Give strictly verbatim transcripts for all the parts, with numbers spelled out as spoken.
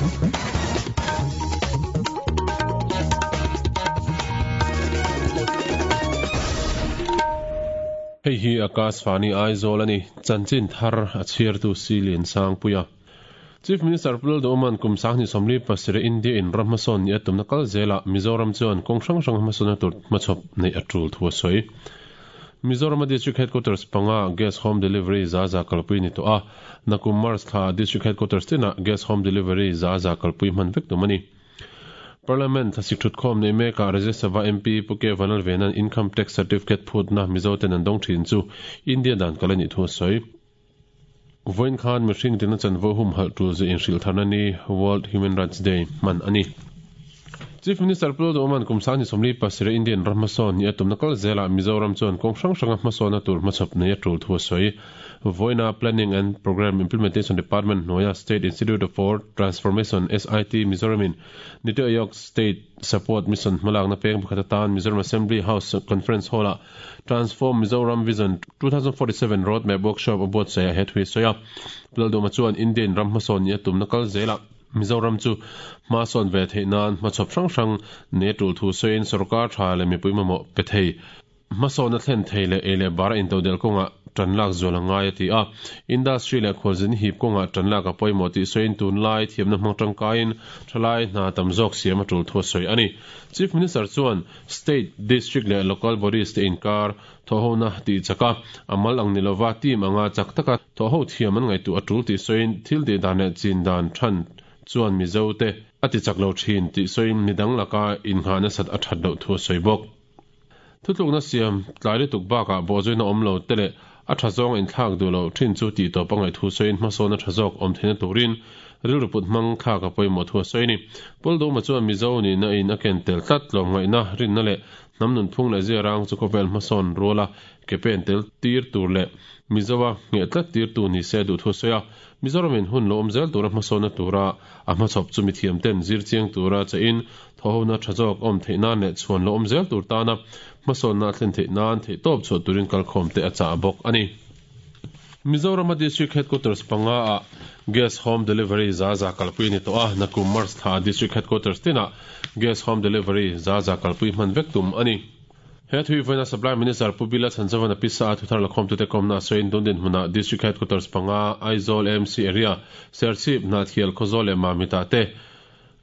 Hei hi Akashvani Aizawl ani chanchin thar a chhiartu Silian Sangpuia. Chief Minister Pu Lalduhoma'n kum sanghnih sawmli pasarih India in ram hmasawn ni a tumna kal zela Mizoram chuan kawng hrang hrang hmasawnna tur hmachhawp neih a tul thu a sawi. Mizoram District Headquarters panga gas home delivery za za kalpui ni tawh a, nakum March thla District Headquarters tina gas home delivery za za kalpui hman vek tum a ni. Parliament thlasik thutkhawm nei mekah Rajya Sabha M P Pu K Vanlalvena'n Income Tax Certificate phutna Mizoten an dawng thin chu India dan kal a nih thu a sawi. Vawiin khan mihring tina chanvo humhalh tul zu inhrilh tharna ni World Human Rights Day hman a ni. Chief Minister Pu Lalduhoma'n kum sanghnih sawmli pasarih Indian ram hmasawn ni a tumna kal zelah Mizoram chuan kawng hrang hranga hmasawnna tur hmachhawp nei a tul thu a sawi. Vawiina Planning and Programme Implementation Department hnuaia State Institute for Transformation, S I T, Mizoramin Niti Aayog State Support Mission hmalakna peng pakhat atan Mizoram Assembly House Conference Hall-ah Transform Mizoram Vision two thousand forty-seven Roadmap Workshop a buatsaih a he thu hi sawi a. Pu Lalduhoma chuan Indian ram hmasawn ni a tumna kal zelah Mizoram chu hmasawn ve theih nan hmachhawp hrang hrang nei a tul thu sawiin sorkar tha leh mipui mamawh pe thei hmasawnna thlen thei leh ei leh bar a intodelh kawngah tan lak zual a ngai a ti a. Industry leh khualzin hip kawngah tan lak a pawimawh tih sawiin tunlai thiamna hmang tangkaiin thalai hna tam zawk siam a tul thu a sawi a ni. Chief Minister chuan State, District leh Local Bodies te inkar thawhhona tih chak a, a mal ang ni lova team anga chak taka thawhho thiam an ngaihtuah a tul tih sawiin thil tih dan leh chin dan than chuan Mizo te a ti chak lo thin tih sawiin midang laka inngahna sat a that loh thu a sawi bawk. Thutlukna siam tlai lutuk bakah bawhzuina awm lo te leh a tha zawng inthlak duh lo thin chu tih tawp a ngaih thu sawiin hmasawn a tha zawk awm theihna turin rilru put hmang thlak a pawimawh thu a sawi a ni. Pu Lalduhoma chuan Mizo nihna in a ken tel tlat tlawmngaihna rinna leh hnam nunphung leh ziarang chu khawvel hmasawn ruala ke pen tel tir tur leh Mizoa ngheh tlat tir tu ni se duh thu a sawi a. Mizoramin hun lo awm zel tura hmasawnna tura a hmachhawp chu mithiam ten zir chiang tura chein thawhhona tha zawk awm theih nan leh chhuan lo awm zel tur tana hmasawnna a thlen theih nan theih tawp chhuah turin kalkhawm te a chah bawk a ni. Mizoram District Headquarters panga a gas home delivery za za kalpui ni tawh a, nakum March thla District Headquarters tinah gas home delivery za za kalpui hman vek tum a ni. He thui vawiina Supply Minister Pu Bila Chhanchavan a pisa a thuthar lakhawm tute kawmna a sawiin tun dinhmunah District Headquarters panga Aizawl A M C area Serchhip Hnahthial Khawzawl leh Mamita te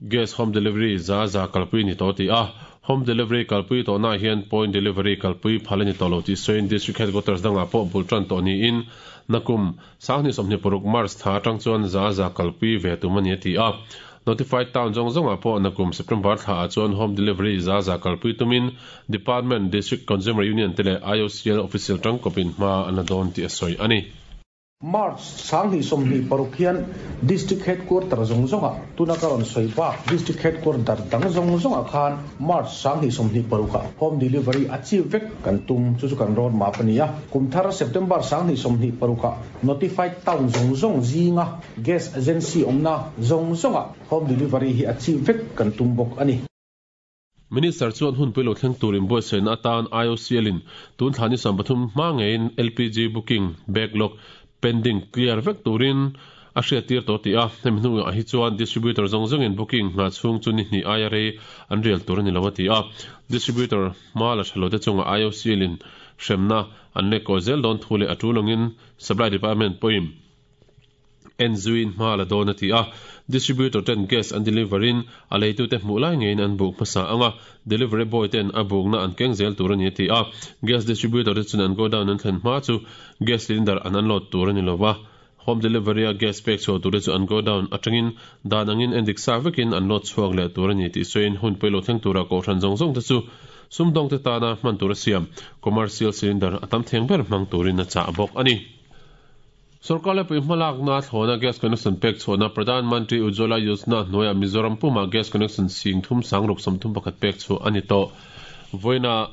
gas home delivery za za kalpui ni tawh ti a. Home delivery kalpui tawhnaah hian point delivery kalpui phal a ni tawh lo tih sawiin District Headquarters dangah pawh bul tan tawh niin nakum sanghnih sawmhnih paruk March thla atang chuan za za kalpui ve tum a ni a ti a. Notified town zawng zawngah pawh nakum September thla ah chuan home delivery za za kalpui tumin Department, District Consumer Union te leh I O C L official tangkawpin hma an la dawn tih a sawi a ni. March sanghnih sawmhnih paruk hian District Headquarter zawng zawngah tuna ka rawn sawi bak District Headquarter dang zawng zawngah khan March sanghnih sawmhnih parukah home delivery a chi vek kan tum chu chu kan road map a ni a. Kum thar September sanghnih sawmhnih parukah Notified town zawng zawng zinga gas agency awmna zawng zawngah home delivery hi a chi vek kan tum bawk a ni. Minister chuan hun pui lo thleng turin buatsaihna atan I O C L in tun thla ni sawm pathum hma ngeiin L P G booking backlog pending clear vek turin a hriat tir tawh ti a. Hemi hnuah hi chuan distributor zawng zawngin booking ngah chhung chu ni hnih aia rei an rial tur a ni lo a ti a. Distributor hma la tha lo te chungah I O C L in hremna an lek kaw zel dawn thu leh a tul angin Supply Department pawhin en zuin hma la dawn a ti a. Distributor ten gas an deliverin a leitu te hmuh lai ngeiin an buk hmasa anga delivery boy ten a bukna an keng zel tur a ni a ti a. Gas distributor te chuan an go down an thlen hma chu gas cylinder an unload tur a ni lova. Home delivery a gas pek chhuah tur te chu an go down atangin dan angin endik sa vekin an load chhuak leh tur a ni tih sawiin hun pui lo thleng tura kohhran zawng zawng te chu sumdawng te tana hman tur a siam commercial cylinder a tam theng ber hmang turin a chah bawk a ni. Sarkar lepui hmalakna thlawna gas connection pek chhuahna Pradhan Mantri Ujjwala Yojana hnuaiah Mizoram puma gas connection sing thum sangruk sawmthum pakhat pek chhuah a ni tawh. Vawiina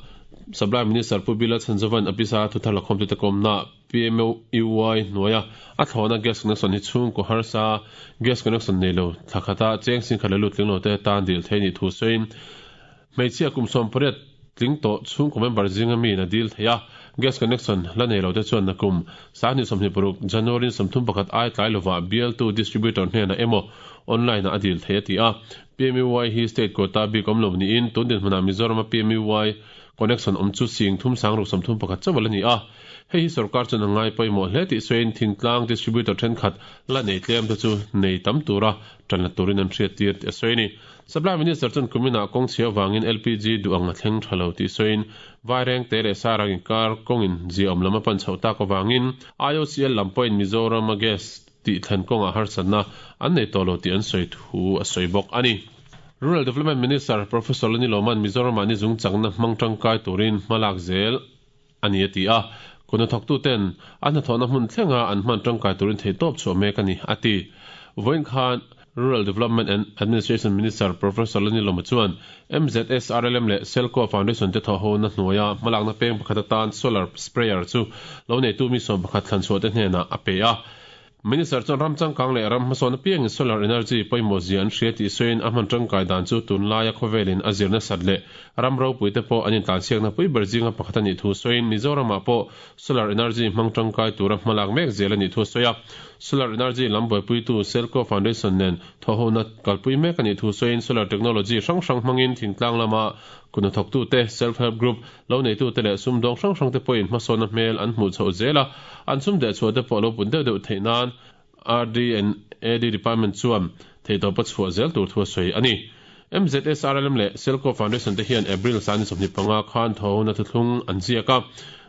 Supply Minister Pu Bila Chhanchavan a pisa thuthar lakhawm tute kawmna P M U Y hnuaia a thlawna gas connection hi chhung ko harsa gas connection nei lo thlakhata cheng sing khat le lut tling lo te tan dil thei ni thu sawiin hmeichhia kum sawm pariat tling tawh chhung ko member zinga mi na dil thei a. Gas connection la nei lo te chuan nakum sanghnih sawmhnih paruk January sawmthum pakhat ai tlai lova bial tu distributor hnena emaw online a dil thei a ti a. P M A Y hi state quota bik awm lo niin tun din hmunah Mizoram a P M A Y connection awm chu sing thum sang ruk sawmthum pakhat chawal ani a. Hei hi sarkar chuan a ngai pawimawh hle tih sawiin thingtlang distributor thenkhat la nei tlem te chu nei tam tura tan la turin an hriat tir tih a sawi ni. Supply Minister chuan kumina kawng chhia wangin L P G duh ang a thleng tha lo tih sawiin vaireng te leh sarang inkar kawngin zia awm lam a pan chhoh tak awangin I O C L lam pawhin Mizoram a gas tih thlen kawngah harsatna an nei tawh lo tih an sawi thu a sawi bawk ani. Rural Development Minister Professor Lani Loman Mizoram ah ni zung chakna hmang tangkai turin hmalak zel ani a ti a. Kuna thawk tu ten an hnathawhna hmun thlenga an hman tangkai turin thei tawp chhuah mek ani a ti. Vawiin khan Rural Development and Administration Minister Professor Lani Loma chuan M Z S R L M leh Selco Foundation te thawh ho na hnuaia hmalakna peng pakhat atan solar sprayer chu lo nei tu mi sawm pakhat thlan chhuah te hnenah a pe a. Minister chuan ram changkang leh ram hmasawn apiangin solar energy pawimawh zia an hria tih sawiin a hman tangkai dan chu tunlaia khawvelin a zirna sat leh ram ropui te pawh an intlansiakna pui ber zinga pakhat ani thu sawiin Mizoramah pawh solar energy hmang tangkai tura hmalak mek zel ani thu sawi a. Solar energy lam buaipuitu Selco Foundation nen thawhhona kalpui mek ani thu sawiin solar technology hrang hrang hmangin thingtlang lama kuna thawktu te self help group lo neitu te leh sumdawng hrang hrang te pawhin hmasawn a hmel an hmuh chhoh zel a. An sum deh chhuah te pawh lo pun deuh deuh theih nan R D and A D Department chuan theitawpa chhuah zel tur thu a sawi ani. M Z S R L M leh Selco Foundation te hian April sani sawmhnih panga khan thawhhona thuthlung an ziak a.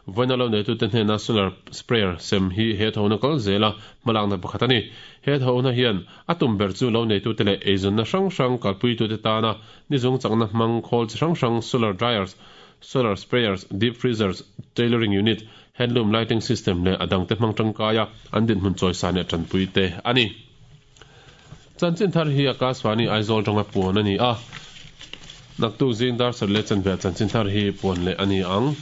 Vawiin lo neitu te hnena solar sprayer sem hi he thawhhona kal zela hmalakna pakhat ani. He thawhhona hian a tum ber chu lo neitu te leh eizawnna hrang hrang kalpuitu te tana ni zung chakna hmang khawl chi hrang hrang solar dryers, solar sprayers, deep freezers, tailoring unit, handloom lighting system leh adang te hmang tangkaia an din hmun chawisa leh tanpui te ani. Chanchin thar hi Akashvani Aizawl tanga puan ani a. Naktu zing dar sar le chanve chanchin thar hi puan le ani ang.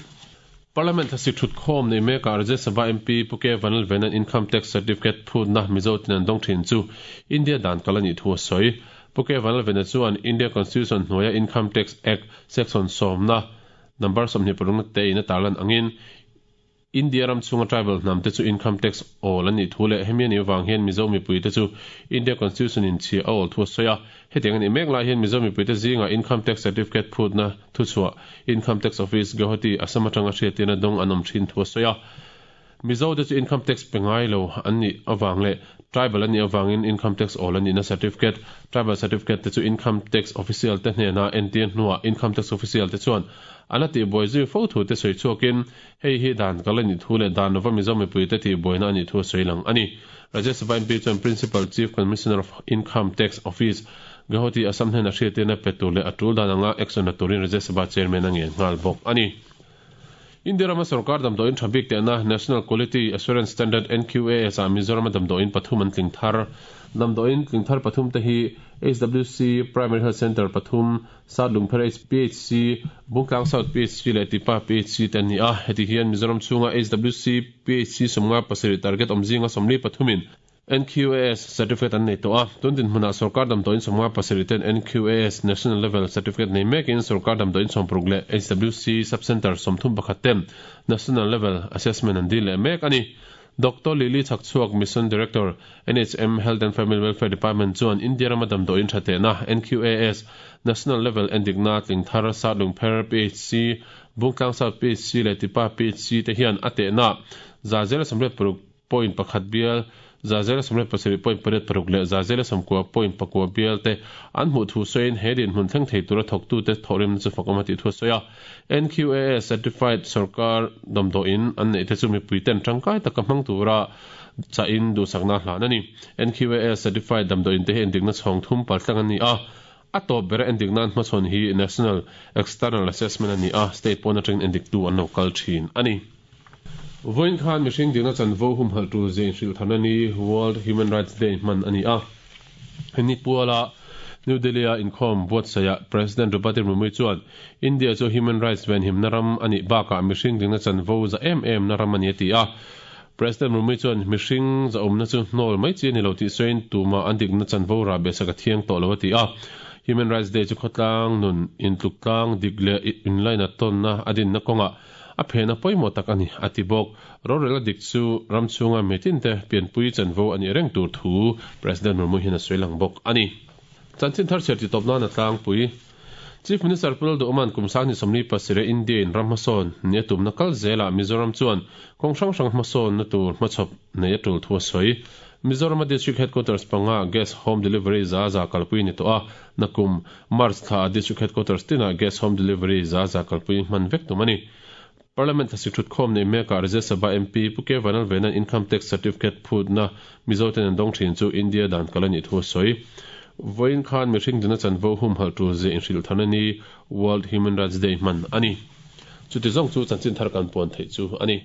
Parliament thasi thut khom nei mek Rajya Sabha M P Puke Vanal Venan Income Tax Certificate phut na Mizo tin an dong thin chu India dan kalani thu a sawi. Puke Vanal Venan chuan India Constitution hnuaia Income Tax Act section sawmna number sawmhnih parukna te in a tarlan angin India ram chunga tribal hnam te chu income tax awl ani thu leh hemi ani wang hian Mizo mipui te chu India Constitution in chi a awl thu a sawi a. Hetiang ani mek lai hian Mizo mipui te zinga income tax certificate phut na thu chhuah Income Tax Office Guwahati Assam atanga hriatina dawng an awm thin thu a sawi a. Mizo te chu income tax pe ngai lo an ni awang leh tribal ani awangin income tax awl ani na certificate tribal certificate te chu income tax official te hnena entir hnuah income tax official te chuan ana ti boi zui fo thu te soi chuakin hei hi dan kalani thu leh dan lova Mizo mipui te ti boina ani thu a sawi lang ani. Rajya Sabha M P chuan Principal Chief Commissioner of Income Tax Office Guwahati Assam hnena hriatina pe tur leh a tul dan anga action la turin Rajya Sabha chairman a ngen nghal bawk ani. India rama sarkar damdawiin tha bik tehna National Quality Assurance Standard N Q A S a Mizoram damdawiin pathum an tling thar. Damdawiin tling thar pathum te hi H W C Primary Health Center pathum, Satlungpher P H C, Bungtlang South P H C leh Tipa P H C te an ni a. Heti hian Mizoram chhunga H W C P H C sawmnga pasarih target awmzinga sawmli pathumin N Q A S certificate an nei tawh a. Tun din hmunah sarkar damdawiin sawmnga pasarih ten N Q A S National Level Certificate nei mekin sarkar damdawiin sawmparuk leh H W C Sub-Center sawmthum pakhat ten National Level Assessment an dil leh mek ani. Doctor Lily Chakchhuak Mission Director N H M Health and Family Welfare Department chuan India rama damdawiin tha tehna N Q A S National Level endikna tling thar Satlungpher P H C, Bungtlang South P H C leh Tipa P H C te hian a tehna za zela sawmriat paruk point pakhat bial za zela sawmriat pasarih point pariat paruk leh za zela sawmkua point pakua bial te an hmuh thu sawiin he din hmun thleng thei tura thawktu te thawhrim chu fakawm a tih thu a sawi a. N Q A S Certified sarkar damdawiin an neih te chu mipui ten tangkai taka hmang tura chain duhsakna hlan ani. N Q A S Certified damdawiin te hi endikna chhawng thum paltlang ani a. A tawp ber endikna an hmachhawn hi National External Assessment ani a. State pawn atangin endiktu an lo kal thin ani. Vawiin khan mihring dikna chanvo humhalh tur zia inhrilh tharna ni World Human Rights Day hman ani a. Hemi puala New Delhi a inkhawm buatsaia President Draupadi Murmu chuan India chu human rights venhimna ram ani bakah mihring dikna chanvo za em em na ram ani a ti a. President Murmu chuan mihring za awmna chu hnawl mai chi ani lo tih sawiin tuma an dikna chanvo ra be saka thiang tawh lo a ti a. Human Rights Day chu khawtlang nun intluk tlang dik leh inlaina tawnna a dinna kawngah A phena pawimawh tak ani ati bawk. Rorel a dik chu ram chhunga mitin te pianpui chanvo ani reng tur thu President Murmu hian a sawi lang bawk ani. Chanchin thar chhiar ti tawp nan a tlangpui. Chief Minister Pu Lalduhoma'n kum sanghnih sawmli pasarih India in ram hmasawn ni a tumna kal zelah Mizoram chuan kawng hrang hrang hmasawnna tur hmachhawp nei a tul thu a sawi. Mizorama District Headquarters panga Gas Home Delivery za za kalpui ni tawh a, nakum March thla ah District Headquarters tinah Gas Home Delivery za za kalpui hman vek tum a ni. Parliament thlasik thutkhawm nei mekah Rajya Sabha M P Pu K Vanlalvena'n Income Tax Certificate phutna Mizoten an dawng thin chu India dan kal a nih thu a sawi. Vawiin khan mihring duna chanvo humhalh tur zia inhrilh tharna ni World Human Rights Day hman a ni. Chuti zawng chu chanchin thar kan puan theih chu a ni.